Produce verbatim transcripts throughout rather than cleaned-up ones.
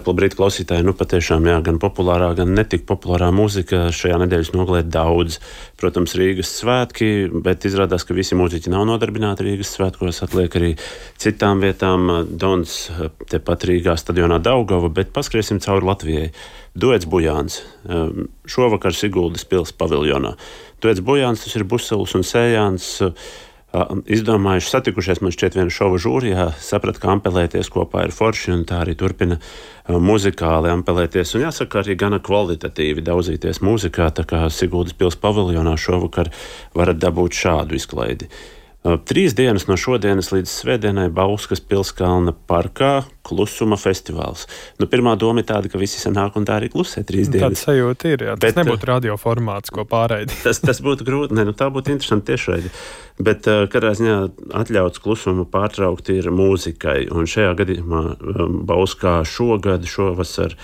Brītu klausītāji, nu patiešām jā, gan populārā, gan netik populārā mūzika šajā nedēļas nogalē daudz. Protams, Rīgas svētki, bet izrādās, ka visi mūziķi nav nodarbināti Rīgas svētkos, atliek arī citām vietām. Dons tepat Rīgā stadionā Daugava, bet paskriesim cauri Latvijai. Duets Bujāns. Šovakar Siguldas pils paviljonā. Duets Bujāns, tas ir Buselis un Sējāns. Izdomājuši, satikušies man šķiet viena šova žūrijā, saprata, ka ampelēties kopā ir forši un tā arī turpina muzikāli ampelēties. Un jāsaka, arī gana kvalitatīvi daudzīties mūzikā, tā kā Siguldas pils paviljonā šovakar varat dabūt šādu izklaidi. Trīs dienas no šodienas līdz svētdienai Bauskas Pilskalna parkā klusuma festivāls. Nu, pirmā doma ir tāda, ka visi sanāk un tā arī klusē trīs dienas. Tāds sajūta ir, jā. Tas bet, nebūtu radio formāts, ko pārraidi. Tas, tas būtu grūti, ne, nu tā būtu interesanti tiešraidi. Bet katrā ziņā atļauts klusumu pārtraukt ir mūzikai. Un šajā gadījumā Bauskā šogad, šovasar,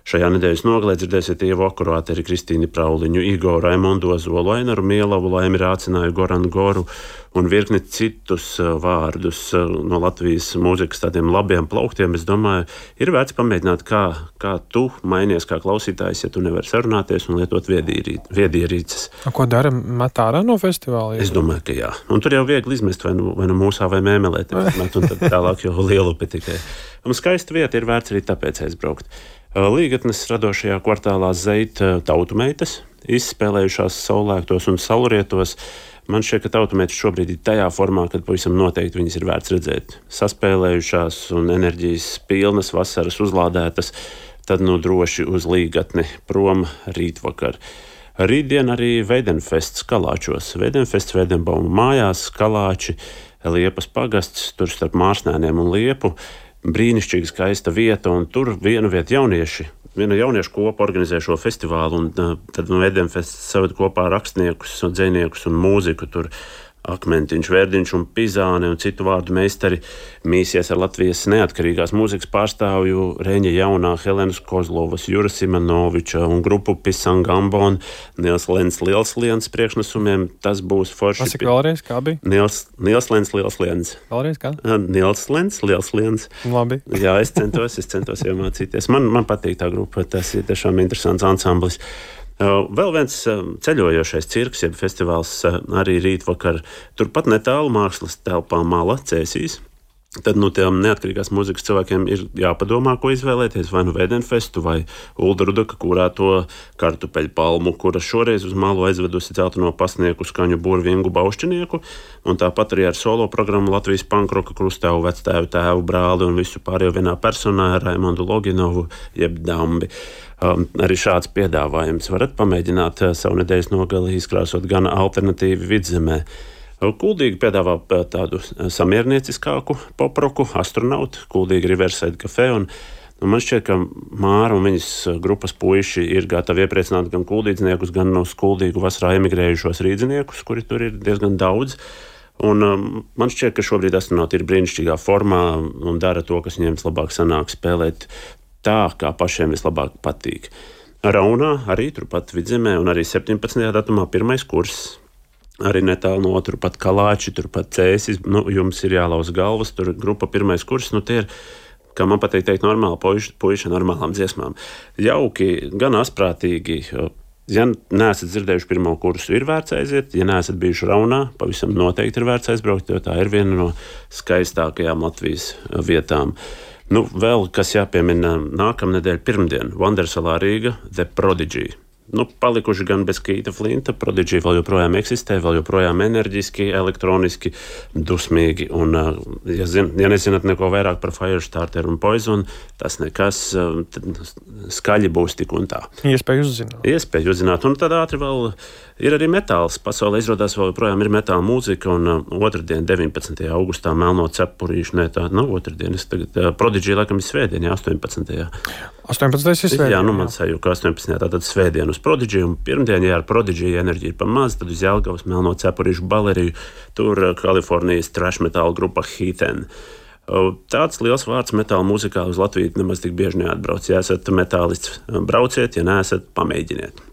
šajā nedēļas nogalē dzirdēsiet Ievu Akurāteri, Kristīni Prauliņu, Igoru Raimondu Ozolu, Ainaru Mielavu, Laimi Rācināju, Goranu Goru un virkni citus vārdus no Latvijas mūzikas tādiem labiem plauktiem. Es domāju, ir vērts pamēģināt, kā, kā tu mainies kā klausītājs, ja tu nevari sarunāties un lietot viedierīces. Ko dara, met ārā no festivāla? Es domāju, ka jā. Un tur jau viegli izmest vai nu, vai nu mūsā vai mēmelēt, un tad tālāk jau lielupi tikai. Un skaista vieta ir vērts arī tāpēc aizbraukt. Līgatnes radošajā kvartālā Zeita tautumeitas, izspēlējušās saulēktos un saulrietos. Man šķiet, ka tautumeitas šobrīd ir tajā formā, kad pavisam noteikti viņas ir vērts redzēt. Saspēlējušās un enerģijas pilnas, vasaras uzlādētas, tad nu droši uz Līgatni prom rītvakar. Rītdien arī Veidenfests Kalāčos. Veidenfests Veidenbauma mājās, Kalāči, Liepas pagasts, tur starp Mārsnēniem un Liepu. Brīnišķīgi skaista vieta, un tur vienu vietu jaunieši, viena jauniešu kopa organizē šo festivālu, un tad no Veidenfests saved kopā rakstniekus, dzejniekus un mūziku. Tur Akmentiņš, Vērdiņš un Pizāne un citu vārdu meistari mīsies ar Latvijas neatkarīgās mūzikas pārstāvju Reņa Jaunā, Helenas Kozlovas, Jura Simanoviča un grupu Pisangambon, Nils Lens Lielsliens priekšnesumiem. Tas būs forši. Pasaka vēlreiz, kā bija? Nils, Nils Lens Lielsliens. Vēlreiz kā? Nils Lens Lielsliens. Labi. Jā, es centos, es centos iemācīties. Man, man patīk tā grupa, tas ir tiešām interesants ansamblis. Vēl viens ceļojošais cirks, jeb festivāls arī rītvakar, turpat netālu mākslas telpā Mala, Cēsīs. Tad nu tiem neatkarīgās mūzikas cilvēkiem ir jāpadomā, ko izvēlēties, vai nu Veidenfestu, vai Ulda Rudaka kurēto kartupeļu palmu, kura šoreiz uz Malu aizvedusi celteno pasnieku skaņu burvingu Baušķinieku, un tāpat arī ar solo programmu Latvijas pankroka krustēvu, vectēvu, tēvu, brāli un visu pārējo vienā personā Raimondu Loginovu, jeb Dambi. Um, arī šāds piedāvājums varat pamēģināt uh, savu nedēļas nogali izkrāsot gan alternatīvi Vidzemē. Kuldīgi piedāvā tādu samiernieciskāku poproku, Astronautu, Kuldīgi Riverside Cafe, un nu, man šķiet, ka Māra un viņas grupas puiši ir gatavi iepriecināt gan kuldīdzniekus, gan uz Kuldīgu vasarā emigrējušos rīdziniekus, kuri tur ir diezgan daudz. Un um, man šķiet, ka šobrīd Astronauti ir brīnišķīgā formā un dara to, kas viņiem vislabāk sanāk, spēlēt tā, kā pašiem vislabāk patīk. Raunā arī turpat Vidzemē un arī septiņpadsmitajā datumā pirmais kurs. Arī netālu no turpat Kalāči, turpat Cēsis. Nu, jums ir jālauz galvas, tur grupa pirmais kurs. Nu, tie ir, kā man patīk teikt, normāli puiši, puiši normālām dziesmām. Jauki, gan asprātīgi. Ja neesat dzirdējuši pirmo kursu, ir vērts aiziet. Ja neesat bijuši Raunā, pavisam noteikti ir vērts aizbraukt, jo tā ir viena no skaistākajām Latvijas vietām. Nu, vēl, kas jāpiemina nākamnedēļ pirmdien, Vandersalā Rīga, The Prodigy. Nu, palikuši gan bez Kīta Flinta, Prodigy vēl joprojām eksistē, vēl joprojām enerģiski, elektroniski, dusmīgi. Un, ja, zin, ja nezināt neko vairāk par Firestarter un Poison, tas nekas, skaļi būs tik un tā. Iespēju uzzināt. Iespēju uzzināt. Un tad ātri vēl ir arī metāls. Pasaulē izrādās vēl joprojām ir metāla mūzika, un uh, otrdien, deviņpadsmitajā augustā, Melno cepurīšu, ne tā, nav otrdien, es tagad, uh, Prodigy laikam ir svētdien, astoņpadsmitajā astoņpadsmitajā ir svētdien. Jā, nu man sajūta, ka astoņpadsmitajā tātad svētdien uz Prodigy, un pirmdien, ja ar Prodigy enerģija ir pa maz, tad uz Jelgavas Melno cepurīšu baleriju, tur uh, Kalifornijas trash metāla grupa Heathen. Uh, tāds liels vārds metāla mūzikā uz Latviju nemaz tik bieži neatbrauc. Ja esat metālists, brauciet, ja neesat, pamēģiniet.